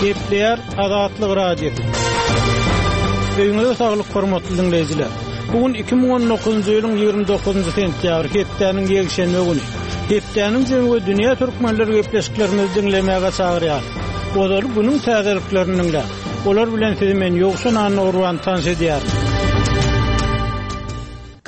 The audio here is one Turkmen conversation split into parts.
Gepleýär Azatlyk Radiosy. Öýüňize saglyk hormatly diňleýjiler. Bu gün 2019-njy ýylyň 29-njy sentýabry, hepdäniň ýekşenbe güni. Hepdäniň jemi we dünýä türkmenleri gepleşiklerimizi diňlemäge çagyrýar. Ozaly günüň täzeliklerini diňläň. Olar bilen sizi men Ýowşan Annagurban tanyş edýärin.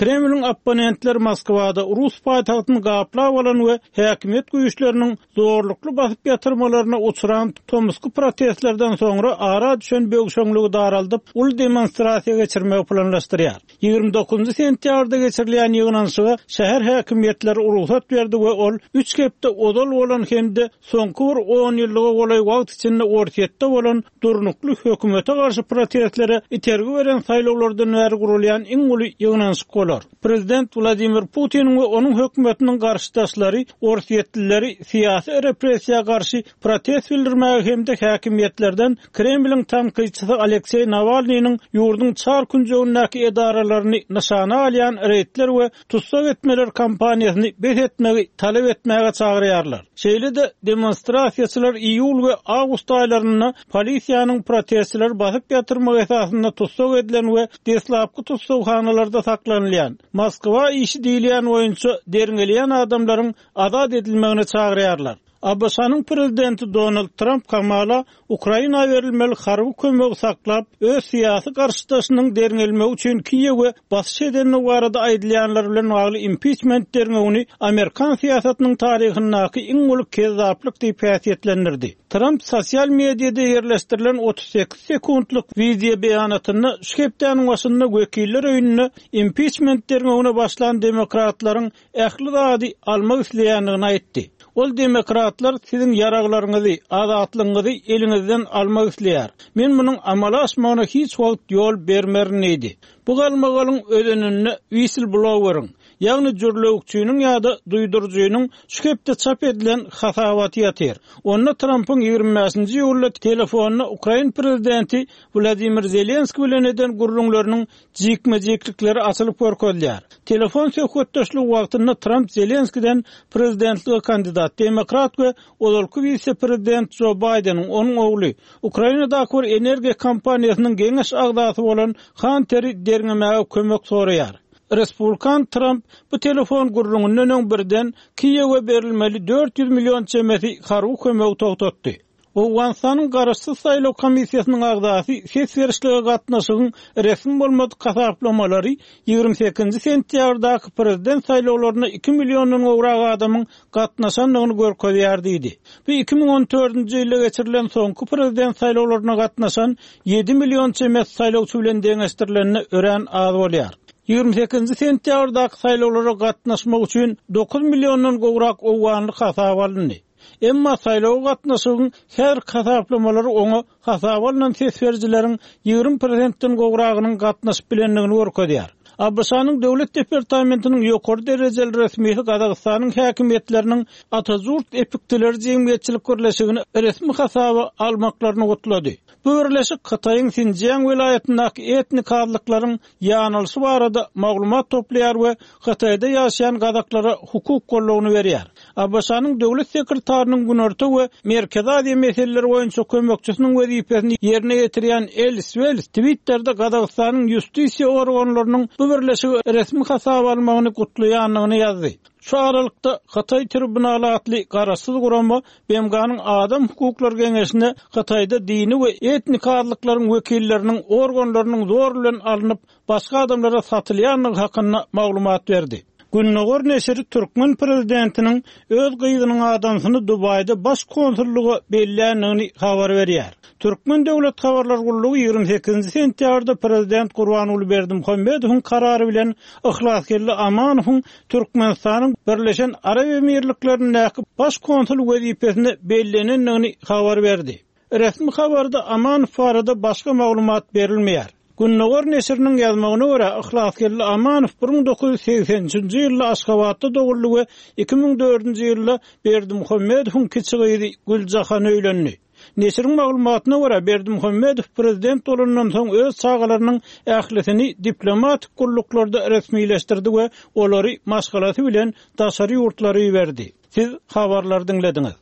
Kremliň opponentleri Moskwada rus paýtagtyny gaplap alan we häkimiýet güýçleriniň zorlukly basyp ýatyrmalaryna uçran tomusky protestlerden soňra ara düşen böwşeňligi daraldyp, uly demonstrasiýa geçirmegi planlaşdyrýar. 29 sentýabrda geçirilýän ýygnanyşyga şäher häkimiýetleri rugsat berdi we ol üç hepde ozal bolan hem-de soňky bir onýyllyga golaý wagt içinde Orsýetde bolan durnukly hökümete garşy protestlere itergi beren saýlawlardan bäri guralýan iň uly ýygnanyşyk bolar. Prezident Wladimir Putiniň we onuň hökümetiniň garşydaşlary orsýetlileri syýasy repressiýa garşy protest bildirmäge hem-de häkimiýetlerden Kremliň tankytçysy Alekseý Nawalnynyň ýurduň çar künjegindäki edaralaryny nyşana alýan reýdler we tussag etmeler kampaniýasyny bes etmegi talap etmäge çagyrýarlar. Şeýle-de, demonstrasiýaçylar iýul we awgust aýlarynda polisiýanyň protestçileri basyp ýatyrmagy esasynda tussag edilen we deslapky tussaghanalarda saklanylýan, Moskwa işi diýilýän boýunça derňelýän adamlaryň azat edilmegine çagyrýarlar. ABŞ-nyň prezidenti Donald Tramp hamala Ukraina berilmeli harby kömegi saklap, öz syýasy garşydaşynyň derňelmegi üçin Kiýewe basyş edendigi barada aýdylýanlar bilen bagly impiçment derňewini amerikan syýasatynyň taryhyndaky iň uly kezzaplyk diýip häsiýetlendirdi. Tramp sosial mediada ýerleşdirilen 38 sekuntlyk wideo beýanatynda şu hepdäniň başynda Wekiller öýünde impiçment derňewine başlan demokratlaryň ähli zady almak isleýändigini aýtdy. Ol demokratlar siziň ýaraglaryňyzy, azatlygyňyzy eliňizden almak isleýär. Men munuň amala aşmagyna hiç wagt ýol bermerin diýdi. Bu galmagalyň özeninde whistleblower-iň, ýagny jürlewükçiniň ýa-da duýduryjynyň şu hepde çap edilen hasabaty ýatyr. Onda Trampyň 25-nji iýulda telefonda ukrain prezidenti Wladimir Zelenskiý bilen eden gürrüňleriniň jikme-jiklikleri açylyp görkezilýär. Telefon söhbetdeşligi wagtynda Tramp Zelenskiden prezidentlige kandidat demokrat we ozalky wise-prezident Jo Baýdeniň, onuň ogly, Ukrainadaky bir energiýa kompaniýasynyň geňeş agzasy bolan Hanteri derňemäge kömek soraýar. Respublikan Tramp bu telefon gürrüňinden öň birden Kiýewe berilmeli 400 million çemesi harby kömegi togtatdy. Owganystanyň Garaşsyz saýlaw komissiýasynyň agzasy ses berişlige gatnaşygyň resmi bolmadyk hasaplamalary 28-nji sentýabrdaky prezident saýlawlaryna iki milliondan gowrak adamyň gatnaşandygyny görkezýär diýdi. Bu 2014-nji ýylda geçirilen soňky prezident saýlawlaryna gatnaşan ýedi million çemesi saýlawçy bilen deňeşdirilende örän az bolýar. 28-nji sentýabrdaky saýlawlara gatnaşmak üçin dokuz milliondan gowrak owganly hasaba alyndy. Emma saýlawa gatnaşygyň häzirki hasaplamalary oňa hasaba alnan ses berijileriň 20 prosentden gowragynyň gatnaşyp bilendigini görkezýär. ABŞ-nyň Döwlet departamentiniň ýokary derejeli resmisi Gazagystanyň häkimiýetleriniň Atajurt epiktileri jemgyýetçilik birleşigini resmi hasaba almaklaryny gutlady. Bu birleşik Hytaýyň Sinjiang welaýatyndaky etnik azlyklaryň ýanalyşy barada maglumat toplaýar we Hytaýda ýaşaýan gazaklara hukuk goldawyny berýär. ABŞ-nyň Döwlet sekretarynyň Günorta we Merkezi Aziýa meseleleri boýunça kömekçisiniň wezipesini ýerine ýetirýän Elis Wels Twitterde Gazagystanyň ýustisiýa organlarynyň bu birleşigi resmi hasaba almagyny gutlaýandygyny ýazdy. Şu aralykda, Hytaý tribunaly atly garaşsyz gurama BMG-niň Adam hukuklary geňeşine Hytaýda dini we etnik azlyklaryň wekilleriniň organlarynyň zor bilen alnyp, başga adamlara satylýandygy hakynda maglumat berdi. Gündogar neşiri türkmen prezidentiniň öz gyzynyň adamsyny Dubaýda baş konsullyga belländigini habar berýär. Türkmen döwlet habarlar gullugy 28-nji sentýabrda prezident Gurbanguly Berdimuhamedowyň karary bilen Yhlasgeldi Amanowyň Türkmenistanyň Birleşen Arap Emirliklerindäki Baş konsul wezipesine bellenendigini habar berdi. Resmi habarda Amanow barada başga maglumat berilmeýär. Gündogar neşiriniň ýazmagyna görä, Yhlasgeldi Amanow 1983-nji ýylda Aşgabatda doguldy we 2004-nji ýylda Berdimuhamedowyň kiçi gyzy Güljahana öýlendi. Neşiriň maglumatyna görä, Berdimuhamedow prezident bolandan soň öz çagalarynyň ählisini diplomatik gulluklarda resmileşdirdi we olary maşgalasy bilen daşary ýurtlara iberdi. Siz habarlary diňlediňiz.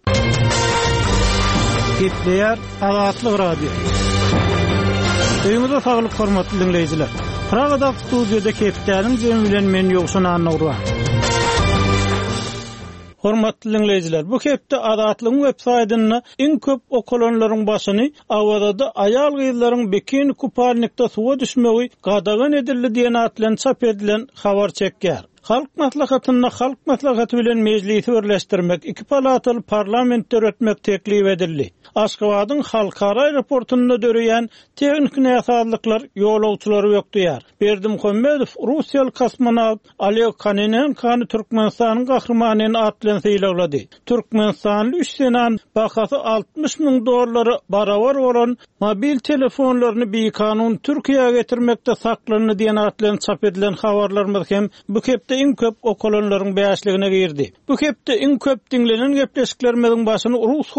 Gepleýär Azatlyk Radiosy. Öýüňize saglyk hormatly diňleýjiler. Pragadaky studiýada hepdäniň jemi bilen men Ýowşan Annagurban. Hormatly diňleýjiler, bu hepde Azatlygyň web saýtynda iň köp okalanlaryň başyny Awazada aýal-gyzlaryň bikini kupalnikde suwa düşmegi gadagan edildi diýen at bilen çap edilen habar çekýär. Halk Maslahatynda Halk Maslahaty bilen Mejlisi birleşdirmek, iki palataly parlament döretmek teklip edildi. Aşgabadyň halkara aeroportynda döreýän tehniki näsazlyklar ýolagçylary bökdeýär. Berdimuhamedow russiýaly kosmonawt Oleg Kononenkony Türkmenistanyň Gahrymany at bilen sylaglady. Türkmenistanly üç zenan bahasy 60 müň dollara barabar bolan mobil telefonlaryny bikanun Türkiýä getirmekde saklandy diýen at bilen çap edilen habarlarymyz hem bu hepde iň köp okalanlaryň bäşligine girdi. Bu hepde iň köp diňlenen gepleşiklerimiziň başyny rus.